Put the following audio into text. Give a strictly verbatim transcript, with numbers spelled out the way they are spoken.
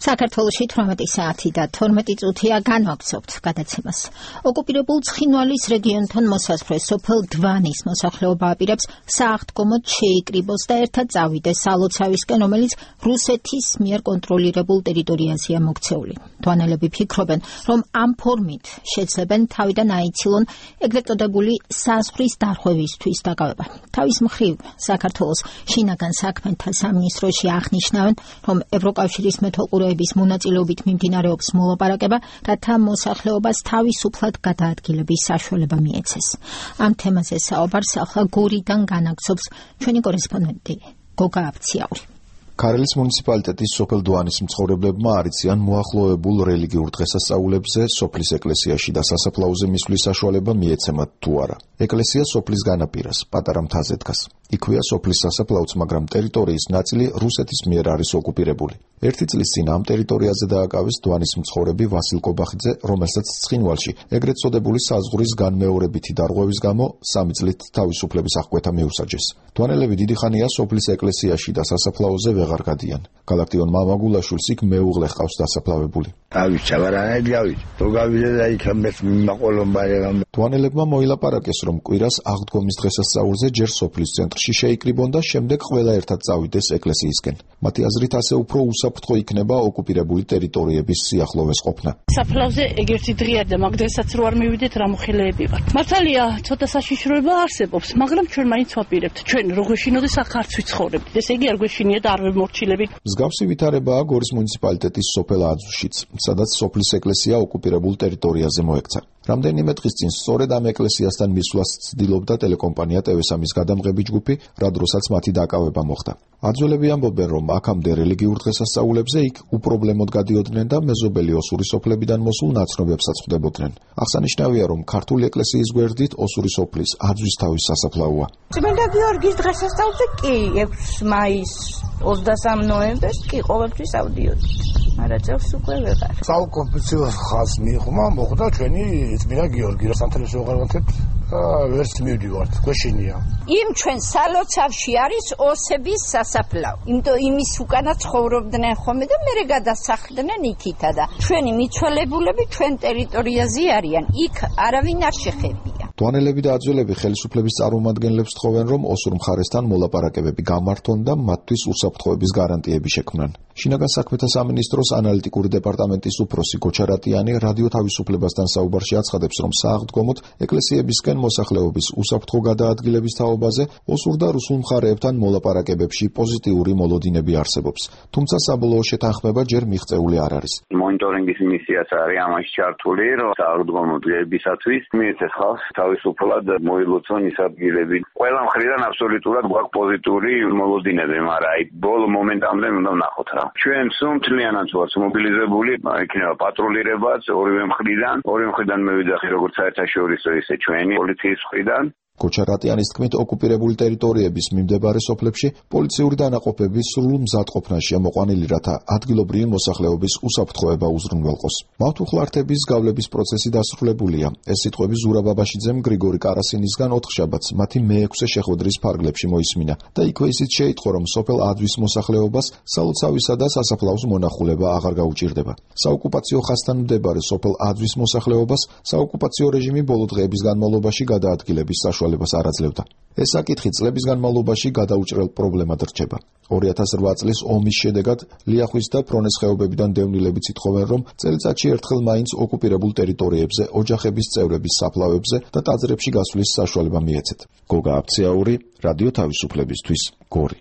საქართველოში თორმეტი საათი და თორმეტი წუთია განვაგრძობთ გადაცემას. ოკუპირებულ ცხინვალის რეგიონთან მოსასვლელ სოფელ დვანის მოსახლეობა აპირებს სააღდგომოდ შეიკრიბოს და ერთად წავიდეს სალოცავისკენ, რომელიც რუსეთის მიერ კონტროლირებულ ტერიტორიაზეა მოქცეული. დვანელები ფიქრობენ, რომ ამ ფორმით შეძლებენ თავიდან აიცილონ ეგრეთ წოდებული საზღვრის დარღვევისთვის დაკავება. თავის მხრივ საქართველოს შინაგან საქმეთა სამინისტროში აღნიშნავენ, რომ ევროკავშირის მეთვალყურეობის მონაწილეობით მიმდინარეობს მოლაპარაკება, რათა მოსახლეობას თავისუფლად გადაადგილების საშუალება მიეცეს. ამ თემაზე საუბარს ახლა გორიდან განაგრძობს ჩვენი კორესპონდენტი გოგა აბციაური. ქარელის მუნიციპალიტეტის სოფელ დვანის მცხოვრებლებმა არიციან მოახლოებულ რელიგიურ დღესასწაულებზე სოფლის ეკლესიაში და სასაფლაოზე მისვლის საშუალება მიეცემათ თუ არა. ეკლესია სოფლის განაპირას, პატარა მთაზე დგას. იქვეა სოფლის სასაფლაოც, მაგრამ ტერიტორიის ნაწილი რუსეთის მიერ არის ოკუპირებული. ერთი წლის წინ ამ ტერიტორიაზე დააკავეს დვანის მცხოვრები ვასილ კობახიძე, რომელსაც ცხინვალში ეგრეთ წოდებული საზღვრის განმეორებითი დარღვევის გამო სამი წლით თავისუფლების აღკვეთა მიუსაჯეს. დვანელები დიდი ხანია სოფლის ეკლესიაში და სასაფლაოზე ვეღარ გადიან. გალაქტიონ მამაგულაშვილს იქ მეუღლე ჰყავს დასაფლავებული. დვანელებმა მოილაპარაკეს, რომ კვირას აღდგომის დღესასწაულზე ჯერ სოფლის ცენტრში შეიკრიბონ და შემდეგ ყველა ერთად წავიდეს ეკლესიისკენ. მათი აზრით, ასე უფრო უსაფრთხო იქნება ოკუპირებული ტერიტორიების სიახლოვეს ყოფნა. საფლავზე ეგერთი დღეა და მაგ დღესაც რო არ მივიდეთ, რა მოხელეები ვართ. მართალია, ცოტა საშიშროება არსებობს, მაგრამ ჩვენ მაინც ვაპირებთ. ჩვენ რო გვეშინოდეს, აქ არც ვიცხოვრებთ. ესე იგი არ გვეშინია და არ ვემორჩილებით. მსგავსი ვითარებაა გორის მუნიციპალიტეტის სოფელ აძუშიც, სადაც სოფლის ეკლესია ოკუპირებულ ტერიტორიაზე მოექცა. რამდენიმე დღის წინ სწორედ ამ ეკლესიასთან მისვლას ცდილობდა ტელეკომპანია ტევესამის გადამღები ჯგუფი, რა დროსაც მათი დაკავება მოხდა. აძველები ამბობენ, რომ აქამდე რელიგიურ დღესასწაულებზე იქ უპრობლემოდ გადიოდნენ და მეზობელი ოსური სოფლებიდან მოსულ ნაცნობებსაც ხვდებოდნენ. აღსანიშნავია, რომ ქართული ეკლესიის გვერდით ოსური სოფლის აძვისთავის სასაფლაოა. წმინდა გიორგის დღესასწაულზე კი ექვსი მაისს ოცდასამი ნოემბერს კი ყოველთვის ავდიოდი. არა წელს უკვე ვეღარ. საოკუპაციო ხაზს მიღმა მოხდა ჩვენი წმინდა გიორგი, რა სანთელს ვეღარვანთებ და ვერც მივდივართ, გვეშინია. იმ ჩვენ სალოცავში არის ოსების სასაფლაო. იმიტომ იმის უკანა ცხოვრობდნენ ხოლმე და მერე გადასახლდნენ იქითა და ჩვენი მიცვალებულები ჩვენ ტერიტორიაზე არიან. იქ არავინ არ შეხებია. დვანელები და აძველები ხელისუფლების წარმომადგენლებს თხოვენ, რომ ოსურ მხარესთან მოლაპარაკებები გამართონ და მათთვის უსაფრთხოების გარანტიები შექმნან. შინაგან საქმეთა სამინისტროს ანალიტიკური დეპარტამენტის უფროსი გოჩარატიანი რადიო თავისუფლებასთან საუბარში აცხადებს, რომ სააღდგომოდ ეკლესიებისკენ მოსახლეობის უსაფრთხო გადაადგილების თაობაზე ოსურ და რუსულ მხარეებთან მოლაპარაკებებში პოზიტიური მოლოდინები არსებობს. თუმცა საბოლოო შეთანხმება ჯერ მიღწეული არ არის. მონიტორინგის მისიაც არის ამაში ჩართული, რომ სააღდგომოებისათვის მიეცეს ხალხს თავისუფლად მოილოცონ ის ადგილები. ყველა მხრიდან აბსოლუტურად გვაქვს პოზიტიური მოლოდინები, მაგრამ აი ბოლო მომენტამდე უნდა ვნახოთ რა. ჩვენ სუმთლიანად ვართ მობილიზებული, იქნება პატრულირებაც ორივე მხრიდან, ორივე მხრიდან მევიძახი როგორც საერთაშორისო, ისე ჩვენი პოლიციის მხრიდან. გოჩარატიანის თქმით, ოკუპირებული ტერიტორიების მიმდებარე სოფლებში პოლიციური დანაყოფები სრულ მზადყოფნაშია მოყვანილი, რათა ადგილობრივი მოსახლეობის უსაფრთხოება უზრუნველყოს. მავთუხლართების გავლების პროცესი დასრულებულია. ეს სიტყვები ზურაბ აბაშიძემ გრიგორი კარასინისგან ოთხშაბათს მათი მეექვსე შეხვედრის ფარგლებში მოისმინა და იქვე ისიც შეიტყო, რომ სოფელ აძვის მოსახლეობას სალოცავისა და სასაფლაოს მონახულება აღარ გაუჭირდება. საოკუპაციო ხაზთან მდებარე სოფელ აძვის მოსახლეობას საოკუპაციო რეჟიმი ბოლო დღეების განმავლობაში გადაადგილების საშუალებას არ აძლევდა. ეს საკითხი წლების განმავლობაში გადაუჭრელ პრობლემად რჩება. ორი ათას რვა წლის ომის შედეგად ლიახვის და ფრონეს ხეობებიდან დევნილებიც ითხოვენ, რომ წელიწადში ერთხელ მაინც ოკუპირებულ ტერიტორიებზე ოჯახების წევრების საფლავებზე და ტაძრებში გასვლის საშუალება მიეცეთ. გოგა აბციაური, რადიო თავისუფლებისთვის, გორი.